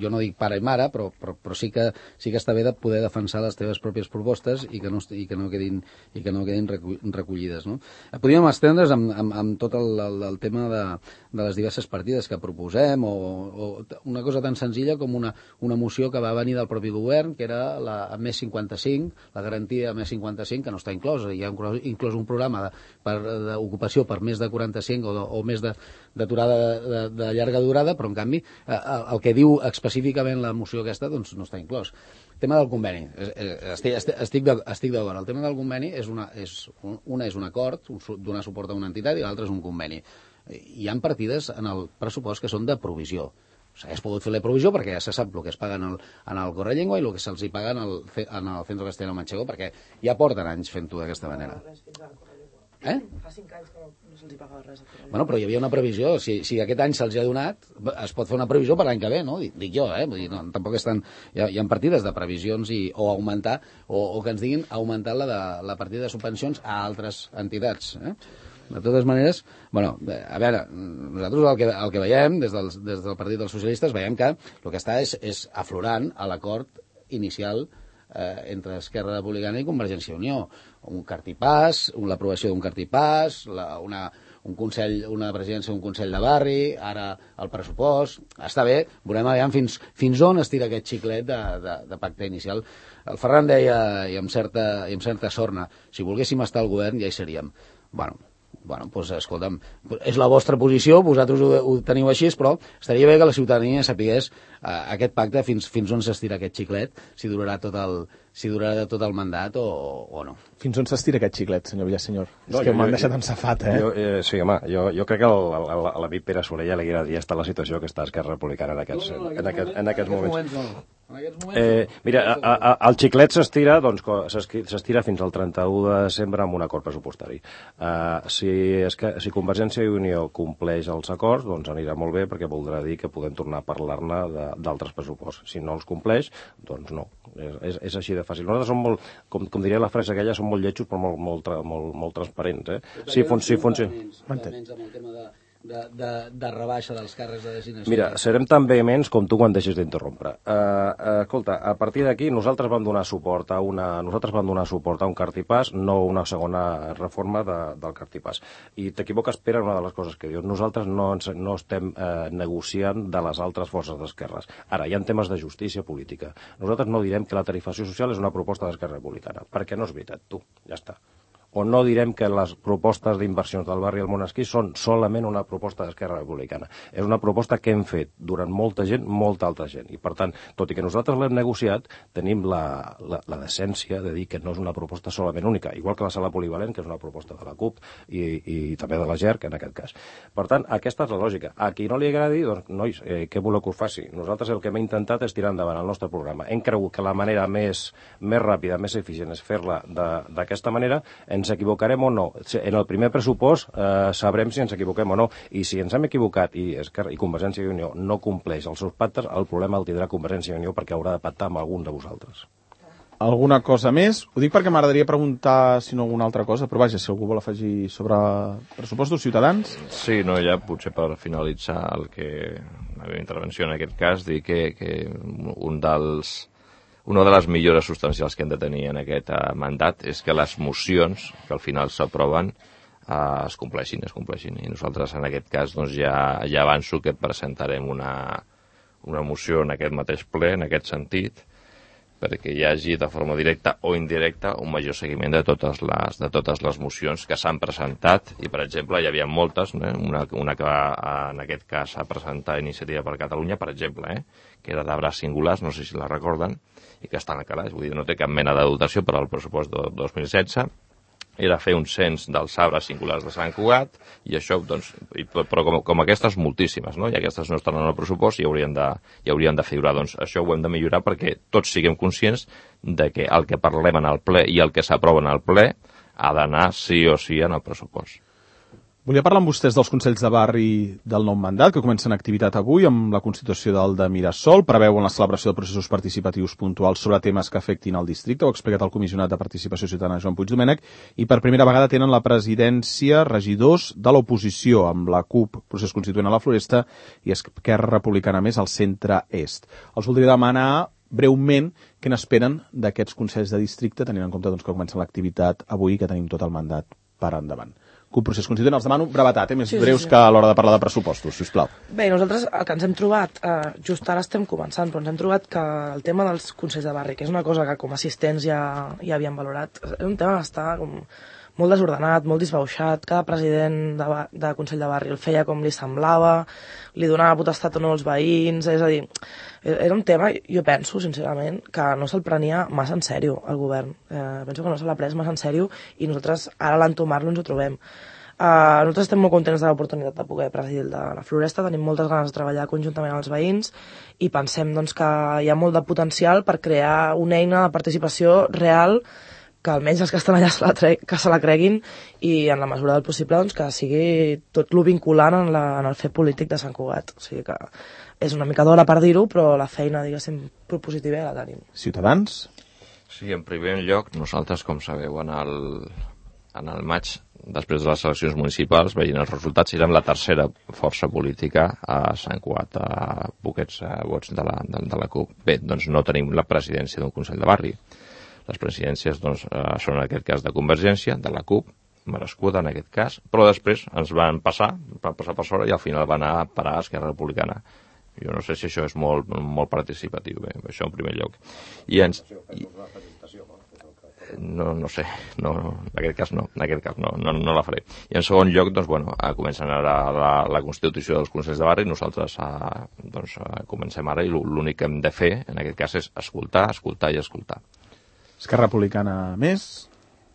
jo no dic pare i mare, però, però, però sí, que, sí que està bé de poder defensar les teves pròpies propostes i que no, i que no quedin, i que no quedin recollides. No? Podríem estendre's amb, amb, amb tot el, el, el tema de, de les diverses partides que proposem, o, o una cosa tan senzilla com una, una moció que va venir del propi govern, que era la més cinquanta-cinc, la garantia més cinquanta-cinc, que no està inclosa. Hi ha inclòs un programa d'ocupació per, per més de quaranta-cinc o, de, o més d'aturada de, de, de llarga durada, però en canvi eh, el que diu específicament la moció aquesta doncs no està inclòs. El tema del conveni, estic, estic, estic d'acord. El tema del conveni és, una, és, una és un acord, donar suport a una entitat, i l'altre és un conveni. Hi ha partides en el pressupost que són de provisió. S'ha pogut fer la provisió perquè ja se sap el que es paga en el, en el Correllengua i el que se'ls paga en el, en el Centro Castellano Manchego, perquè ja porten anys fent-ho d'aquesta manera. Eh? Fa cinc anys que no se'ls pagava res. Bueno, però hi havia una previsió. Si, si aquest any se'ls ha donat, es pot fer una previsió per l'any que ve, no? Dic, dic jo, eh? Vull dir, no, tampoc estan... Hi ha, hi ha partides de previsions i, o augmentar, o, o que ens diguin augmentar la, de, la partida de subvencions a altres entitats, eh? De totes maneres, bueno, a veure, nosaltres el que, el que veiem des del, des del Partit dels Socialistes veiem que el que està és, és aflorant a l'acord inicial eh, entre Esquerra Republicana i Convergència i Unió. Un cartipàs, l'aprovació d'un cartipàs, la, una, un consell, una presidència d'un consell de barri, ara el pressupost. Està bé, veurem aviam fins, fins on estira aquest xiclet de, de, de pacte inicial. El Ferran deia, i amb certa, i amb certa sorna, si volguéssim estar al govern ja hi seríem. Bueno, Bueno, doncs, escolta'm, és la vostra posició, vosaltres ho, ho teniu així, però estaria bé que la ciutadania sapigués eh, aquest pacte fins, fins on s'estira aquest xiclet, si durarà tot el, si durarà tot el mandat o, o no. Fins on s'estira aquest xiclet, senyor Villasenyor? No, és que m'han jo, deixat en safat, eh? Jo, eh? Sí, home, jo, jo crec que a l'amic Pere Soler ja li agradaria estar a la situació que està Esquerra Republicana en aquests, no, no, en, en, aquest, en aquests moments. moments no. En aquests moments, eh, mira, a, a, el xiclet s'estira doncs, s'estira fins al trenta-u de desembre amb un acord pressupostari. Uh, si, és que, si Convergència i Unió compleix els acords, doncs anirà molt bé, perquè voldrà dir que podem tornar a parlar-ne d'altres pressuposts. Si no els compleix, doncs no. És, és, és així de fàcil. Nosaltres som molt, com, com diria la frase aquella, som molt lletjos però molt, molt, molt, molt transparents. Eh? Si fun, si funciona... Amb el tema de... De, de, de rebaixa dels càrrecs de designació. Mira, serem tan vehements com tu quan deixes d'interrompre. Uh, uh, escolta, a partir d'aquí nosaltres vam donar suport a una, nosaltres vam donar suport a un cartipàs, no una segona reforma de, del cartipàs. I t'equivoques, Pere, una de les coses que dius. Nosaltres no, ens, no estem uh, negociant de les altres forces d'esquerres. Ara, hi ha temes de justícia política. Nosaltres no direm que la tarifació social és una proposta d'Esquerra Republicana, perquè no és veritat, tu, ja està. O no direm que les propostes d'inversions del barri del Monesquí són solament una proposta d'Esquerra Republicana. És una proposta que hem fet durant molta gent, molta altra gent. I, per tant, tot i que nosaltres l'hem negociat, tenim la, la, la decència de dir que no és una proposta solament única, igual que la sala polivalent, que és una proposta de la CUP i, i també de la G E R, que en aquest cas. Per tant, aquesta és la lògica. A qui no li agradi, doncs, nois, eh, què voleu que us faci? Nosaltres el que hem intentat és tirar endavant el nostre programa. Hem cregut que la manera més, més ràpida, més eficient és fer-la d'aquesta manera. Ens equivocarem o no. En el primer pressupost eh, sabrem si ens equivoquem o no, i si ens hem equivocat i, Esquerra, i Convergència i Unió no compleix els seus pactes, el problema el tindrà Convergència i Unió perquè haurà de pactar amb algun de vosaltres. Alguna cosa més? Ho dic perquè m'agradaria preguntar si no alguna altra cosa, però vaja, si algú vol afegir sobre pressupostos ciutadans. Sí, no, ja potser per finalitzar el que la meva intervenció en aquest cas, dir que, que un dels una de les millores substancials que hem de tenir en aquest uh, mandat és que les mocions que al final s'aproven uh, es compleixin, es compleixin. I nosaltres en aquest cas doncs, ja, ja avanço que presentarem una, una moció en aquest mateix ple, en aquest sentit, perquè hi hagi de forma directa o indirecta un major seguiment de totes les, de totes les mocions que s'han presentat. I, per exemple, hi havia moltes, eh? una, una que va, en aquest cas s'ha presentat Iniciativa per Catalunya, per exemple, eh? que era d'arbres singulars, no sé si la recorden, i que estan a calaix, vull dir, no té cap mena de dotació per al pressupost de dos mil setze, era fer un cens dels arbres singulars de Sant Cugat, i això, doncs, però com, com aquestes moltíssimes, no? I aquestes no estan en el pressupost i haurien de, i haurien de figurar, doncs això ho hem de millorar perquè tots siguem conscients de que el que parlem en el ple i el que s'aprova en el ple ha d'anar sí o sí en el pressupost. Volia parlar amb vostès dels Consells de Barri del nou mandat, que comencen activitat avui amb la constitució del de Mirasol. Preveuen la celebració de processos participatius puntuals sobre temes que afectin el districte. Ho ha explicat el comissionat de Participació Ciutadana, Joan Puigdomènech. I per primera vegada tenen la presidència regidors de l'oposició, amb la CUP, procés constituent a la Floresta, i Esquerra Republicana més al centre-est. Els voldria demanar breument què n'esperen d'aquests Consells de Districte, tenint en compte doncs, que comença l'activitat avui i que tenim tot el mandat per endavant. Un procés constituent, els demano brevetat, eh? més sí, breus sí, sí. que a l'hora de parlar de pressupostos, sisplau. Bé, nosaltres el que ens hem trobat, eh, just ara estem començant, però ens hem trobat que el tema dels Consells de Barri, que és una cosa que com a assistents ja, ja havíem valorat, és un tema que està com molt desordenat, molt disbauxat, cada president de, de Consell de Barri el feia com li semblava, li donava potestat o no als veïns, és a dir, era un tema, jo penso, sincerament, que no se'l prenia massa en sèrio el govern. Eh, penso que no se l'ha pres massa en sèrio i nosaltres ara a l'entomar-lo ens ho trobem. Uh, nosaltres estem molt contents de l'oportunitat de poder presidir el de la Floresta, tenim moltes ganes de treballar conjuntament amb els veïns i pensem doncs, que hi ha molt de potencial per crear una eina de participació real que almenys els que estan allà se la, tre que se la creguin i en la mesura del possible doncs, que sigui tot lo vinculant en, la, en el fet polític de Sant Cugat. O sigui que és una mica d'hora per dir-ho, però la feina, diguéssim, propositiva ja la tenim. Ciutadans? Sí, en primer lloc, nosaltres, com sabeu, en el, en el maig, després de les eleccions municipals, veient els resultats, érem la tercera força política a Sant Cugat, a poquets vots de la, de, de la CUP. Bé, doncs no tenim la presidència d'un Consell de Barri. Les presidències doncs, són en aquest cas de Convergència, de la CUP, merescuda en aquest cas, però després ens van passar, van passar per sobre i al final van anar a parar a Esquerra Republicana. Jo no sé si això és molt, molt participatiu, bé, això en primer lloc. I ens... I... No, no sé, no, en aquest cas no, en aquest cas no, no, no la faré. I en segon lloc, doncs, bueno, comencen ara la, la constitució dels Consells de Barri, nosaltres a, doncs, a comencem ara i l'únic que hem de fer, en aquest cas, és escoltar, escoltar i escoltar. Esquerra Republicana més?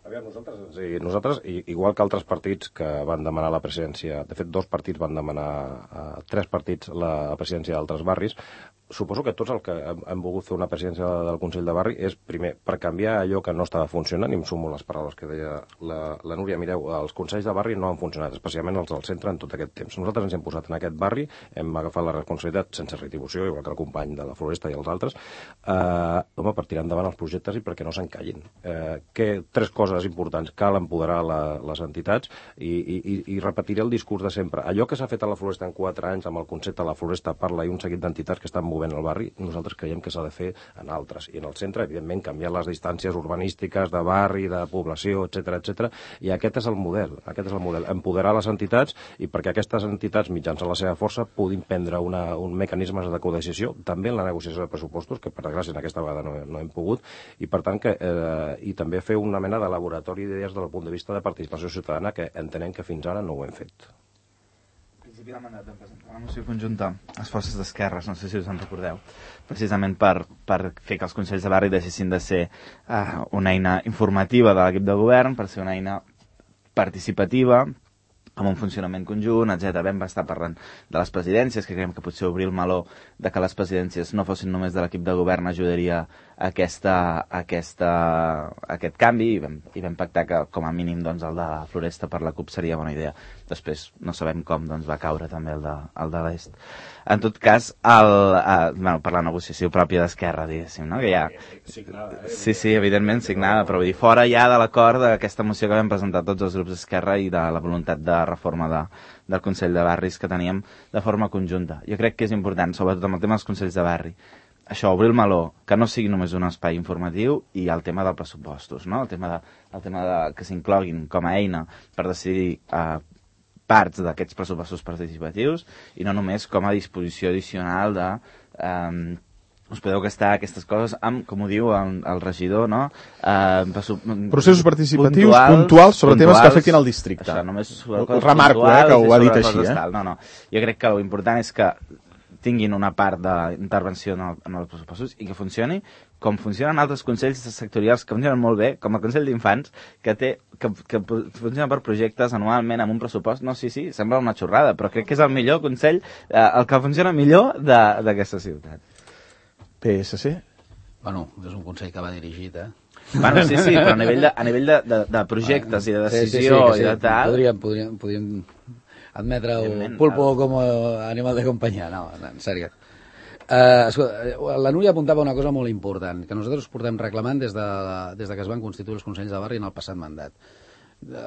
Aviam, nosaltres, sí, nosaltres, igual que altres partits que van demanar la presidència, de fet, dos partits van demanar, eh, tres partits, la presidència d'altres barris, suposo que tots el que hem, hem volgut fer una presidència del Consell de Barri és, primer, per canviar allò que no estava funcionant, i em sumo les paraules que deia la, la Núria. Mireu, els Consells de Barri no han funcionat, especialment els del centre, en tot aquest temps. Nosaltres ens hem posat en aquest barri, hem agafat la responsabilitat sense retribució, igual que el company de la Floresta i els altres, eh, home, per tirar endavant els projectes i perquè no s'encallin. Eh, que, tres coses importants. Cal empoderar la, les entitats i, i, i repetiré el discurs de sempre. Allò que s'ha fet a la Floresta en quatre anys amb el concepte La Floresta Parla i un seguit d'entitats que estan movent al barri, nosaltres creiem que s'ha de fer en altres. I en el centre, evidentment, canviar les distàncies urbanístiques de barri, de població, etcètera, etcètera. I aquest és el model, aquest és el model. Empoderar les entitats i perquè aquestes entitats, mitjançant la seva força, puguin prendre una, un mecanisme de codecisió, també en la negociació de pressupostos, que per desgràcia en aquesta vegada no, no hem pogut, i per tant que, eh, i també fer una mena de laboratori d'idees del punt de vista de participació ciutadana que entenem que fins ara no ho hem fet. Al principi del mandat vam presentar una moció conjunta a les forces d'esquerres, no sé si us en recordeu, precisament per, per fer que els Consells de Barri deixessin de ser uh, una eina informativa de l'equip de govern, per ser una eina participativa, amb un funcionament conjunt, etcètera. Vam estar parlant de les presidències, que creiem que potser obrir el meló de que les presidències no fossin només de l'equip de govern ajudaria a aquesta, a aquesta, a aquest canvi, i vam, i vam pactar que com a mínim doncs, el de la Floresta per la CUP seria bona idea. Després no sabem com doncs, va caure també el de, el de l'Est. En tot cas, el, eh, bueno, per la negociació pròpia d'Esquerra, diguéssim, no? Que ja... Sí, sí, evidentment signada, però vull dir, fora ja de l'acord d'aquesta moció que vam presentar tots els grups d'Esquerra i de la voluntat de reforma de, del Consell de Barris que teníem de forma conjunta. Jo crec que és important, sobretot amb el tema dels Consells de Barri, això, obrir el meló, que no sigui només un espai informatiu, i el tema dels pressupostos, no? El tema de, el tema de que s'incloguin com a eina per decidir eh, parts d'aquests pressupostos participatius i no només com a disposició addicional de... Eh, us podeu gastar aquestes coses amb, com ho diu el, el regidor, no? Eh, processos participatius puntuals, puntuals sobre puntuals, temes que afectin el districte. Això, només remarco, eh, que ho ha dit així. Eh? No, no. Jo crec que l'important és que tinguin una part d'intervenció en, el, en els pressupostos i que funcioni com funcionen altres consells sectorials que funcionen molt bé, com el Consell d'Infants, que té que, que funciona per projectes anualment amb un pressupost. No, sí, sí, sembla una xorrada, però crec que és el millor consell, eh, el que funciona millor d'aquesta ciutat. P S C? Bueno, és un consell que va dirigit, eh? Bueno, sí, sí, però a nivell de, a nivell de, de, de projectes i de decisió sí, sí, sí, sí, i de tal... Podríem, podríem, podríem admetre el pulpo com a animal de companyia. No, en sèrio. Uh, escolta, la Núria apuntava una cosa molt important, que nosaltres portem reclamant des de, des de que es van constituir els Consells de Barri en el passat mandat.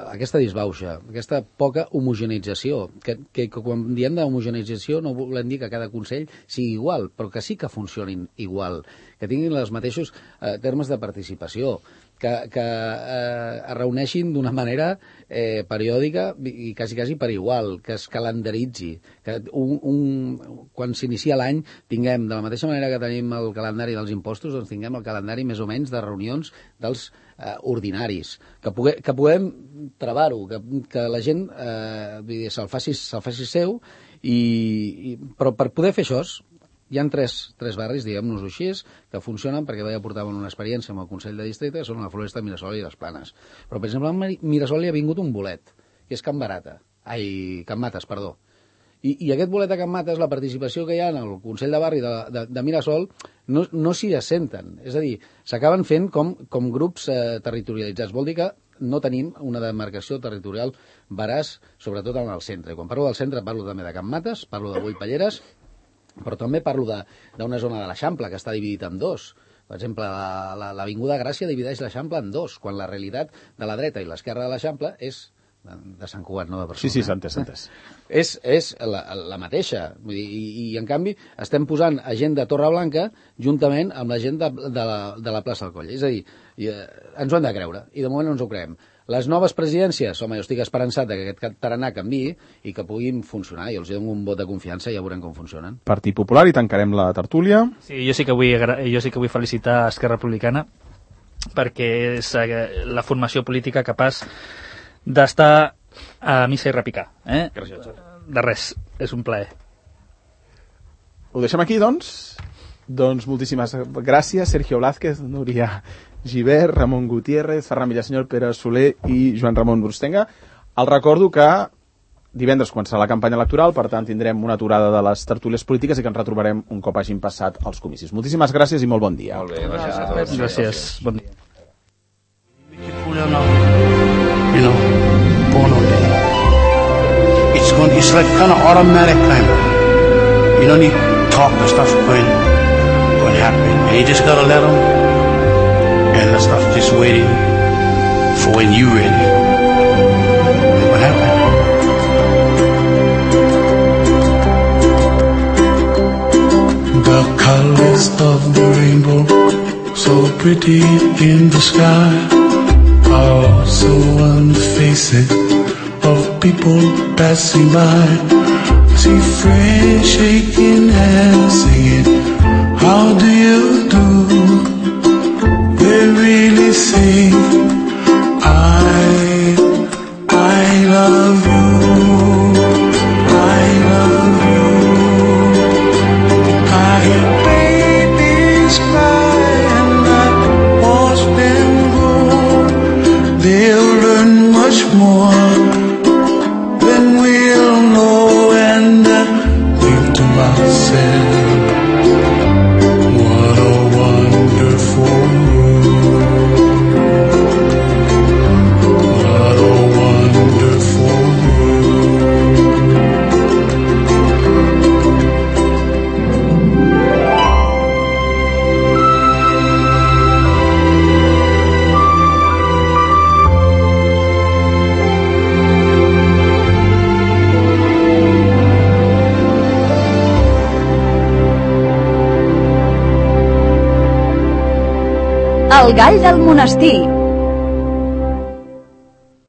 Aquesta disbauxa, aquesta poca homogeneïtzació, que, que, que quan diem d'homogeneïtzació no volem dir que cada Consell sigui igual, però que sí que funcionin igual, que tinguin els mateixos eh, termes de participació, que, que eh, es reuneixin d'una manera eh, periòdica i quasi, quasi per igual, que es calendaritzi, que un, un, quan s'inicia l'any tinguem, de la mateixa manera que tenim el calendari dels impostos, doncs tinguem el calendari més o menys de reunions dels eh, ordinaris, que, pugue, que puguem travar-ho, que, que la gent eh, se'l faci, se faci seu, i, i, però per poder fer això hi ha tres, tres barris, diguem-nos-ho així, que funcionen perquè ja portaven una experiència amb el Consell de Districte, que són la Floresta, Mirasol i les Planes. Però, per exemple, a Mirasol hi ha vingut un bolet, que és Can Barata. Ai, Can Mates, perdó. I, i aquest bolet a Can Mates, la participació que hi ha en el Consell de Barri de, de, de Mirasol, no, no s'hi assenten. És a dir, s'acaben fent com, com grups eh, territorialitzats. Vol dir que no tenim una demarcació territorial veraç, sobretot en el centre. I quan parlo del centre parlo també de Can Mates, parlo de Boí Palleres, però també parlo d'una zona de l'Eixample que està dividit en dos. Per exemple, l'Avinguda Gràcia divideix l'Eixample en dos, quan la realitat de la dreta i l'esquerra de l'Eixample és de Sant Cugat, no de Barcelona. Sí, sí, s'ha entès, s'ha entès. És, és la, la mateixa. Vull dir, i, i, en canvi, estem posant a gent de Torreblanca juntament amb la gent de, de, la, de la plaça del Coll. És a dir, i, eh, ens ho hem de creure, i de moment no ens ho creiem. Les noves presidències, home, jo estic esperançat que aquest tarannà canviï i que puguin funcionar. Jo els dono un vot de confiança i ja veurem com funcionen. Partit Popular, i tancarem la tertúlia. Sí, jo sí que vull, jo sí que vull felicitar Esquerra Republicana perquè és la formació política capaç d'estar a missa i repicar. Eh? Gràcies. De res, és un plaer. Ho deixem aquí, doncs? Doncs moltíssimes gràcies, Sergio Blázquez, Núria Gibert, Ramon Gutiérrez, Ferran Villasenyor, Pere Soler i Joan Ramon Brustenga. El recordo que divendres començarà la campanya electoral, per tant tindrem una aturada de les tertúlies polítiques i que ens retrobarem un cop hagin passat els comicis. Moltíssimes gràcies i molt bon dia. Molt bé, gràcies a tots. Gràcies, bon dia. You know, born on day. It's going. It's like kind of automatic kind of. You don't need to talk. The stuff's going, going to happen, and you just gotta let them. And the stuff's just waiting for when you're ready. Look what happened. The colors of the rainbow, so pretty in the sky, are also on the faces of people passing by. See friends shaking hands, singing, how do you do? They really say, I, I love you, I love you. I hear babies cry and I watch them grow. They'll learn much more than we'll know, and I think to myself, what a wonderful world, what a wonderful El gall del monestir,